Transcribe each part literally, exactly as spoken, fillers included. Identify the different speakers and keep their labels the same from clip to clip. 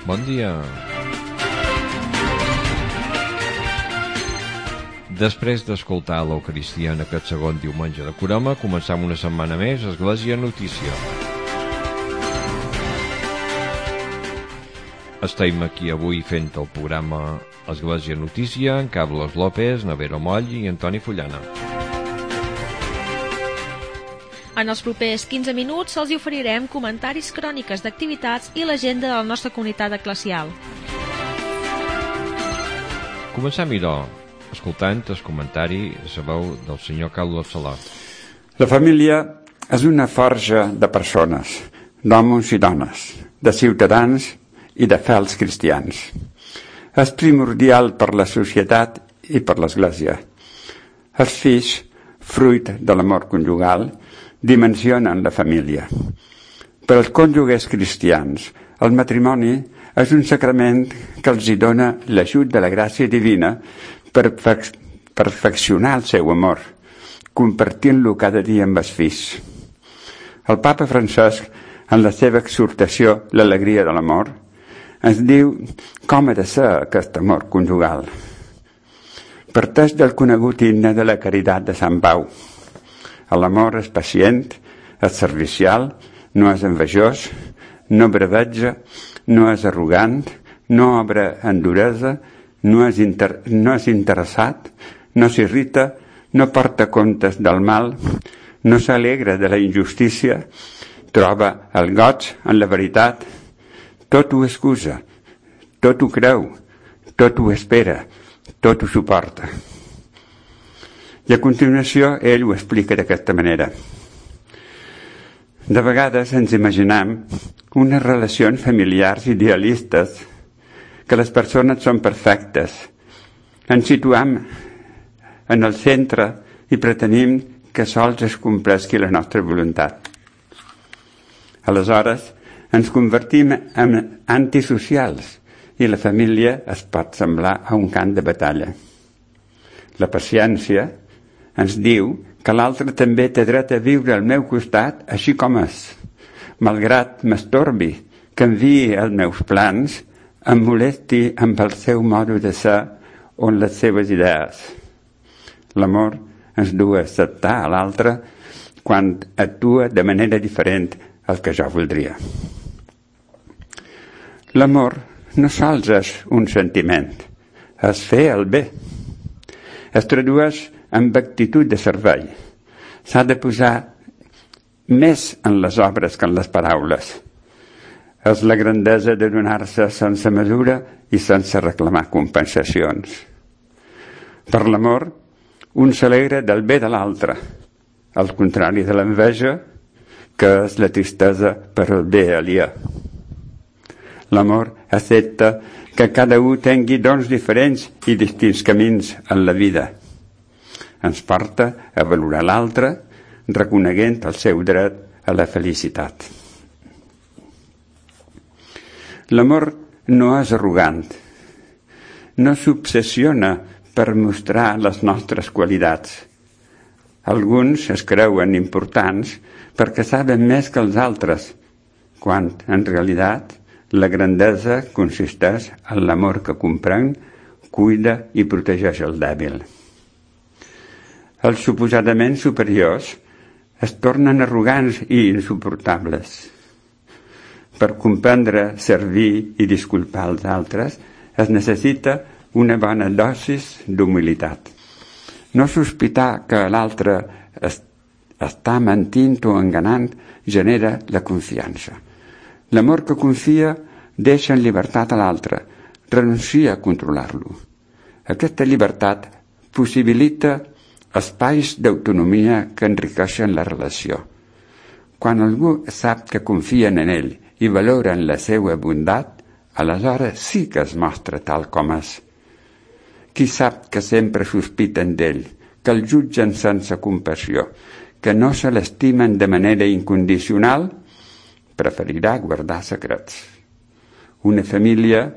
Speaker 1: Bon dia. Després d'escoltar l'Eucaristia en aquest segon diumenge de Carme, començam una setmana més Església Notícia. Estem aquí avui fent el programa Església Notícia amb Carlos López, Navero Moll i Antoni Fullana.
Speaker 2: En els propers quinze minuts els hi oferirem comentaris, cròniques d'activitats i l'agenda de la nostra comunitat eclesial.
Speaker 1: Comencem, idò, escoltant el comentari, sabeu, del senyor Carlos Salà.
Speaker 3: La família és una forja de persones, d'homes i dones, de ciutadans i de fels cristians. És primordial per la societat i per l'Església. Els fills, fruit de l'amor conjugal, dimensionen la família. Per als cònjuges cristians, el matrimoni és un sacrament que els hi dona l'ajut de la gràcia divina per perfeccionar el seu amor, compartint-lo cada dia amb els fills. El papa Francesc, en la seva exhortació L'alegria de l'amor, ens diu com ha de ser aquest amor conjugal. Parteix del conegut himne de la caritat de Sant Pau. L'amor és pacient, és servicial, no és envejós, no breveja, no és arrogant, no obra en duresa, no és, inter... no és interessat, no s'irrita, no porta comptes del mal, no s'alegra de la injustícia, troba el goig en la veritat, tot ho excusa, tot ho creu, tot ho espera, tot ho suporta. I a continuació ell ho explica d'aquesta manera. De vegades ens imaginem unes relacions familiars idealistes, que les persones són perfectes. Ens situem en el centre i pretenim que sols es compleixi la nostra voluntat. Aleshores, ens convertim en antisocials i la família es pot semblar a un camp de batalla. La paciència ens diu que l'altre també té dret a viure al meu costat així com és, malgrat m'estorbi, canviï els meus plans, em molesti amb el seu modo de ser o les seves idees. L'amor ens du a acceptar a l'altre quan actua de manera diferent al que jo voldria. L'amor no sols és un sentiment, és fer el bé. Es tradueix amb actitud de servei. S'ha de posar més en les obres que en les paraules. És la grandesa de donar-se sense mesura i sense reclamar compensacions. Per l'amor, un s'alegra del bé de l'altre, al contrari de l'enveja, que és la tristesa per el bé aliè. L'amor accepta que cada un tingui dons diferents i distints camins en la vida. Ens porta a valorar l'altre, reconeguent el seu dret a la felicitat. L'amor no és arrogant, no s'obsessiona per mostrar les nostres qualitats. Alguns es creuen importants perquè saben més que els altres, quan, en realitat, la grandesa consisteix en l'amor que comprèn, cuida i protegeix el dèbil. Els suposadament superiors es tornen arrogants i insuportables. Per comprendre, servir i disculpar els altres es necessita una bona dosis d'humilitat. No sospitar que l'altre es, està mentint o enganant genera la confiança. L'amor que confia deixa en llibertat a l'altre, renuncia a controlar-lo. Aquesta llibertat possibilita espais d'autonomia que enriqueixen la relació. Quan algú sap que confien en ell i valoren la seva bondat, aleshores sí que es mostra tal com és. Qui sap que sempre sospiten d'ell, que el jutgen sense compassió, que no se l'estimen de manera incondicional, preferirà guardar secrets. Una família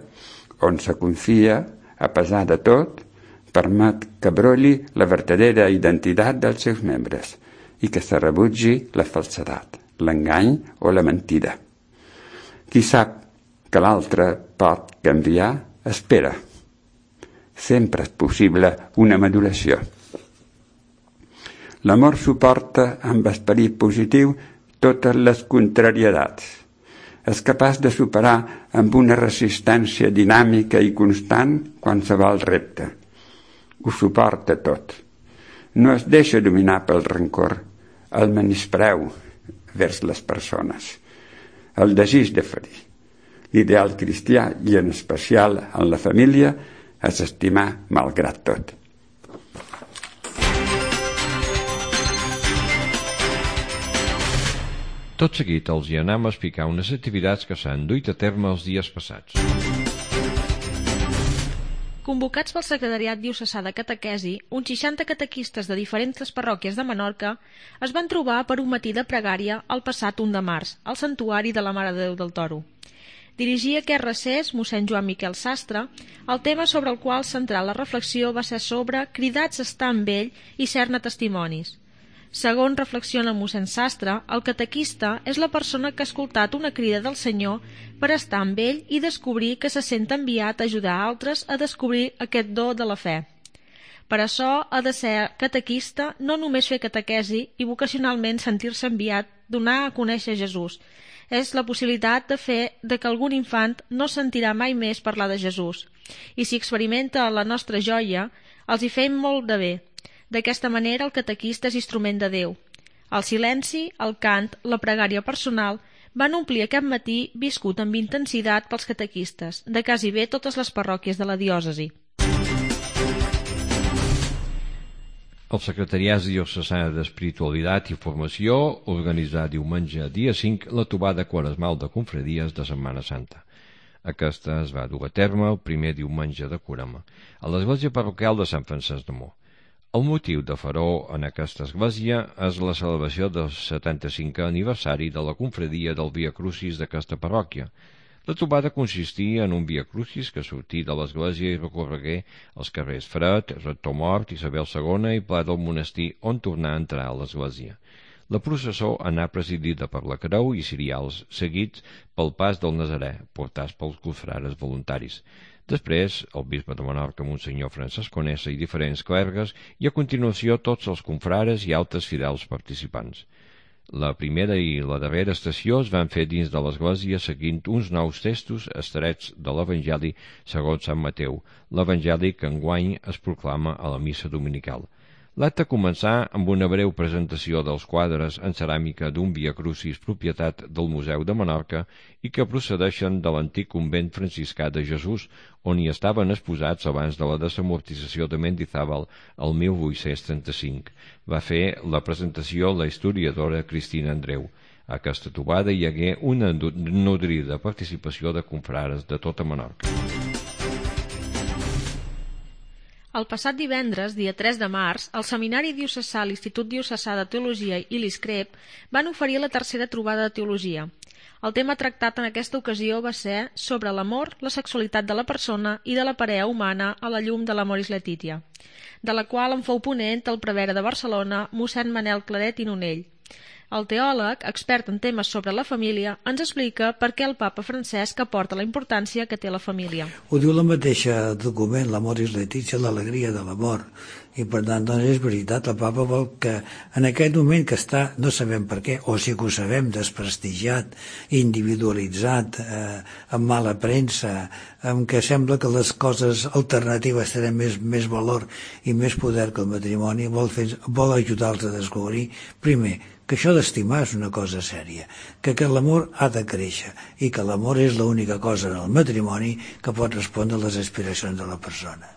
Speaker 3: on se confia, a pesar de tot, permet que brolli la verdadera identitat dels seus membres i que se rebutgi la falsedat, l'engany o la mentida. Qui sap que l'altre pot canviar, espera. Sempre és possible una maduració. L'amor suporta amb esperit positiu totes les contrarietats. És capaç de superar amb una resistència dinàmica i constant qualsevol repte. Ho suporta tot. No es deixa dominar pel rancor, el menyspreu vers les persones, el desig de ferir. L'ideal cristià, i en especial en la família, és estimar malgrat tot.
Speaker 1: Tot seguit els hi anem a explicar unes activitats que s'han duit a terme els dies passats.
Speaker 2: Convocats pel Secretariat Diocesà de Catequesi, uns seixanta catequistes de diferents parròquies de Menorca es van trobar per un matí de pregària el passat u de març, al Santuari de la Mare de Déu del Toro. Dirigia aquest recés mossèn Joan Miquel Sastre. El tema sobre el qual centrar la reflexió va ser sobre cridats a estar amb ell i ser-ne testimonis. Segons reflexiona mossèn Sastre, el catequista és la persona que ha escoltat una crida del Senyor per estar amb ell i descobrir que se sent enviat a ajudar altres a descobrir aquest do de la fe. Per això ha de ser catequista no només fer catequesi i vocacionalment sentir-se enviat, donar a conèixer Jesús. És la possibilitat de fer de que algun infant no sentirà mai més parlar de Jesús. I si experimenta la nostra joia, els hi fem molt de bé. D'aquesta manera el catequista és instrument de Déu. El silenci, el cant, la pregària personal van omplir aquest matí viscut amb intensitat pels catequistes de quasi bé totes les parròquies de la diòcesi.
Speaker 1: El Secretariat Diocesà d'Espiritualitat i Formació organitzà diumenge dia cinc la trobada quaresmal de confraries de Setmana Santa. Aquesta es va dur a terme el primer diumenge de Carme a l'església parroquial de Sant Francesc de Mó. El motiu de faró en aquesta església és la celebració del setanta-cinquè aniversari de la confraria del Via Crucis d'aquesta parròquia. La trobada consistia en un Via Crucis que sortí de l'església i recorregué els carrers Fred, Rector Mort, Isabel segona i Pla del Monestir, on tornar a entrar a l'església. La processó anà presidida per la creu i cirials, seguits pel pas del Nazarè, portats pels confrares voluntaris. Després, el bisbe de Menorca, Monsenyor Francesc Conesa i diferents clergues, i a continuació tots els confrares i altres fidels participants. La primera i la darrera estació es van fer dins de l'església seguint uns nous textos estrets de l'Evangeli segons Sant Mateu, l'Evangeli que enguany es proclama a la missa dominical. L'acte començà amb una breu presentació dels quadres en ceràmica d'un Via Crucis propietat del Museu de Menorca i que procedeixen de l'antic convent franciscà de Jesús, on hi estaven exposats abans de la desamortització de Mendizábal el mil vuit-cents trenta-cinc. Va fer la presentació la historiadora Cristina Andreu. A aquesta trobada hi hagué una nodrida participació de confrares de tota Menorca.
Speaker 2: El passat divendres, dia tres de març, el Seminari Diocesà, l'Institut Diocesà de Teologia i l'ISCREP van oferir la tercera trobada de teologia. El tema tractat en aquesta ocasió va ser sobre l'amor, la sexualitat de la persona i de la parella humana a la llum de l'Amoris Laetitia, de la qual en fou ponent el prevere de Barcelona, mossèn Manel Claret i Nonell. El teòleg, expert en temes sobre la família, ens explica per què el papa Francesc aporta la importància que té la família.
Speaker 4: Ho diu la mateixa document, l'Amoris Laetitia, l'alegria de l'amor. I per tant, doncs és veritat, el papa vol que en aquest moment que està, no sabem per què, o sí que ho sabem, desprestigiat, individualitzat, eh, amb mala premsa, en què sembla que les coses alternatives tenen més, més valor i més poder que el matrimoni, vol, fer, vol ajudar-los a descobrir, primer, que això d'estimar és una cosa sèria, que, que l'amor ha de créixer i que l'amor és l'única cosa en el matrimoni que pot respondre a les aspiracions de la persona.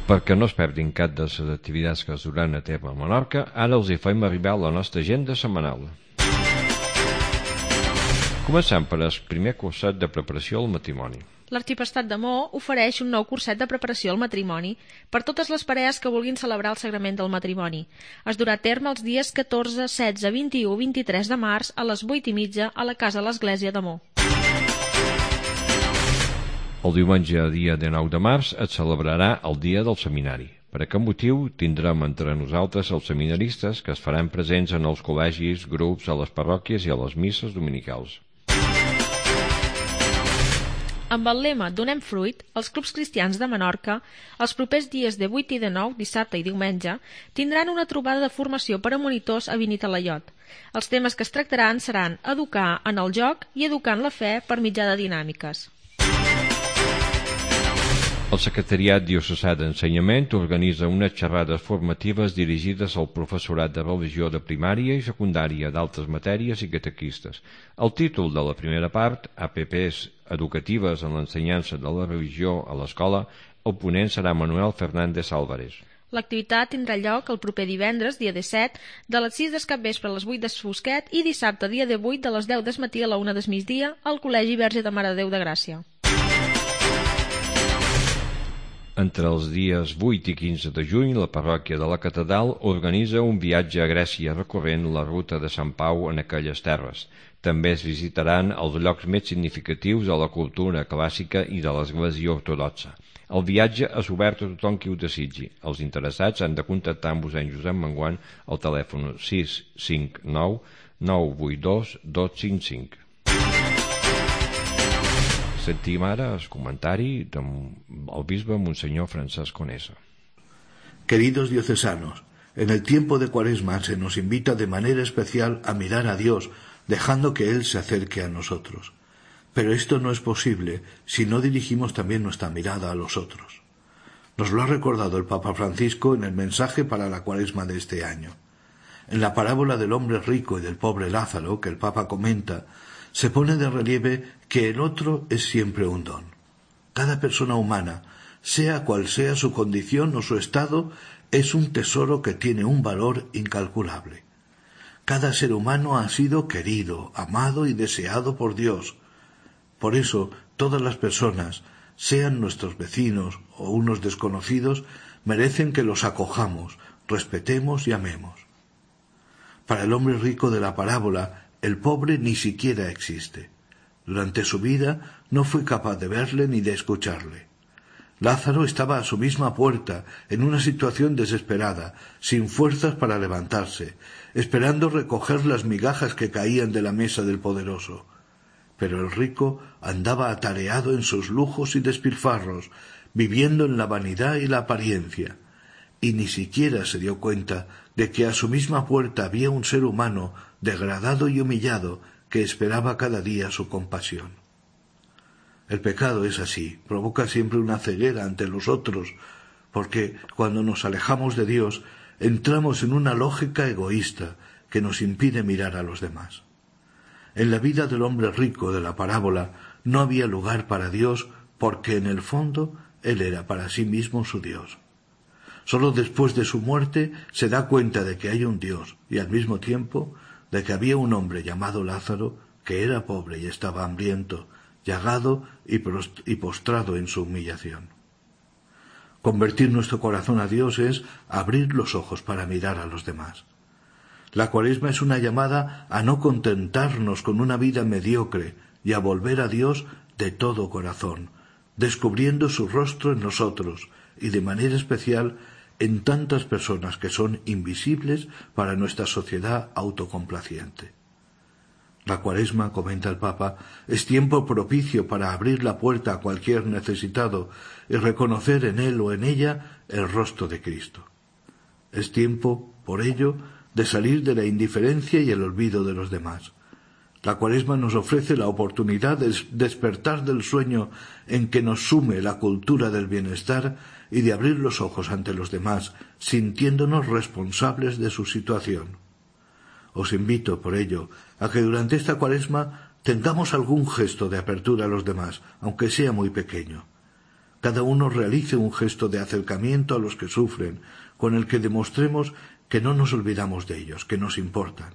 Speaker 1: Perquè no es perdin cap de les activitats que es duran a terme a Menorca, ara els hi fem arribar la nostra agenda setmanal. Començant per el primer curset de preparació al matrimoni.
Speaker 2: L'Arxiprestat de Mó ofereix un nou curset de preparació al matrimoni per totes les parelles que vulguin celebrar el sagrament del matrimoni. Es durà a terme els dies catorze, setze, vint-i-u i vint-i-tres de març a les vuit i mitja a la Casa de l'Església de Mó.
Speaker 1: El diumenge, dia dinou de març, es celebrarà el dia del seminari. Per aquest motiu tindrem entre nosaltres els seminaristes que es faran presents en els col·legis, grups, a les parròquies i a les misses dominicals.
Speaker 2: Amb el lema Donem fruit, els clubs cristians de Menorca, els propers dies de vuit i de nou, dissabte i diumenge, tindran una trobada de formació per a monitors a Benitalaiot. Els temes que es tractaran seran educar en el joc i educar en la fe per mitjà de dinàmiques.
Speaker 1: El Secretariat Diocesà d'Ensenyament organitza unes xerrades formatives dirigides al professorat de religió de primària i secundària d'altres matèries i catequistes. El títol de la primera part, A P Ps educatives en l'ensenyança de la religió a l'escola, el ponent serà Manuel Fernández Álvarez.
Speaker 2: L'activitat tindrà lloc el proper divendres, dia disset, de les sis del capvespre a les vuit del Fosquet i dissabte, dia divuit, de les deu del matí a la una del migdia, al Col·legi Verge de Mare de Déu de Gràcia.
Speaker 1: Entre els dies vuit i quinze de juny, la parròquia de la Catedral organitza un viatge a Grècia recorrent la ruta de Sant Pau en aquelles terres. També es visitaran els llocs més significatius de la cultura clàssica i de l'Església Ortodoxa. El viatge és obert a tothom qui ho desitgi. Els interessats han de contactar amb mossèn Josep Manguant al telèfon sis cinc nou nou vuit dos dos cinc cinc. Sentim ara el comentari del bisbe Monseñor Francesc Conesa.
Speaker 5: Queridos diocesanos, en el tiempo de Cuaresma se nos invita de manera especial a mirar a Dios, dejando que Él se acerque a nosotros. Pero esto no es posible si no dirigimos también nuestra mirada a los otros. Nos lo ha recordado el Papa Francisco en el mensaje para la Cuaresma de este año. En la parábola del hombre rico y del pobre Lázaro, que el Papa comenta, se pone de relieve que el otro es siempre un don. Cada persona humana, sea cual sea su condición o su estado, es un tesoro que tiene un valor incalculable. Cada ser humano ha sido querido, amado y deseado por Dios. Por eso, todas las personas, sean nuestros vecinos o unos desconocidos, merecen que los acojamos, respetemos y amemos. Para el hombre rico de la parábola, el pobre ni siquiera existe. Durante su vida no fue capaz de verle ni de escucharle. Lázaro estaba a su misma puerta, en una situación desesperada, sin fuerzas para levantarse, esperando recoger las migajas que caían de la mesa del poderoso. Pero el rico andaba atareado en sus lujos y despilfarros, viviendo en la vanidad y la apariencia, y ni siquiera se dio cuenta de que a su misma puerta había un ser humano degradado y humillado que esperaba cada día su compasión. El pecado es así, provoca siempre una ceguera ante los otros, porque cuando nos alejamos de Dios entramos en una lógica egoísta que nos impide mirar a los demás. En la vida del hombre rico de la parábola no había lugar para Dios porque en el fondo él era para sí mismo su Dios. Solo después de su muerte se da cuenta de que hay un Dios y al mismo tiempo de que había un hombre llamado Lázaro que era pobre y estaba hambriento, llagado y postrado en su humillación. Convertir nuestro corazón a Dios es abrir los ojos para mirar a los demás. La Cuaresma es una llamada a no contentarnos con una vida mediocre y a volver a Dios de todo corazón, descubriendo su rostro en nosotros y de manera especial en tantas personas que son invisibles para nuestra sociedad autocomplaciente. La Cuaresma, comenta el Papa, es tiempo propicio para abrir la puerta a cualquier necesitado y reconocer en él o en ella el rostro de Cristo. Es tiempo, por ello, de salir de la indiferencia y el olvido de los demás. La Cuaresma nos ofrece la oportunidad de despertar del sueño en que nos sume la cultura del bienestar y de abrir los ojos ante los demás, sintiéndonos responsables de su situación. Os invito, por ello, a que durante esta Cuaresma tengamos algún gesto de apertura a los demás, aunque sea muy pequeño. Cada uno realice un gesto de acercamiento a los que sufren, con el que demostremos que no nos olvidamos de ellos, que nos importan,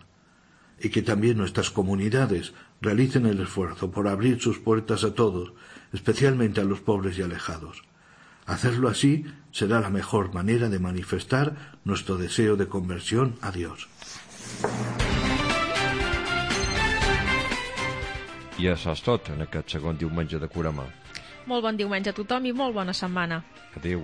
Speaker 5: y que también nuestras comunidades realicen el esfuerzo por abrir sus puertas a todos, especialmente a los pobres y alejados. Hacerlo así será la mejor manera de manifestar nuestro deseo de conversión a Dios.
Speaker 1: I això és tot en aquest segon diumenge de Cuaresma.
Speaker 2: Molt bon diumenge a tothom i molt bona setmana.
Speaker 1: Adéu.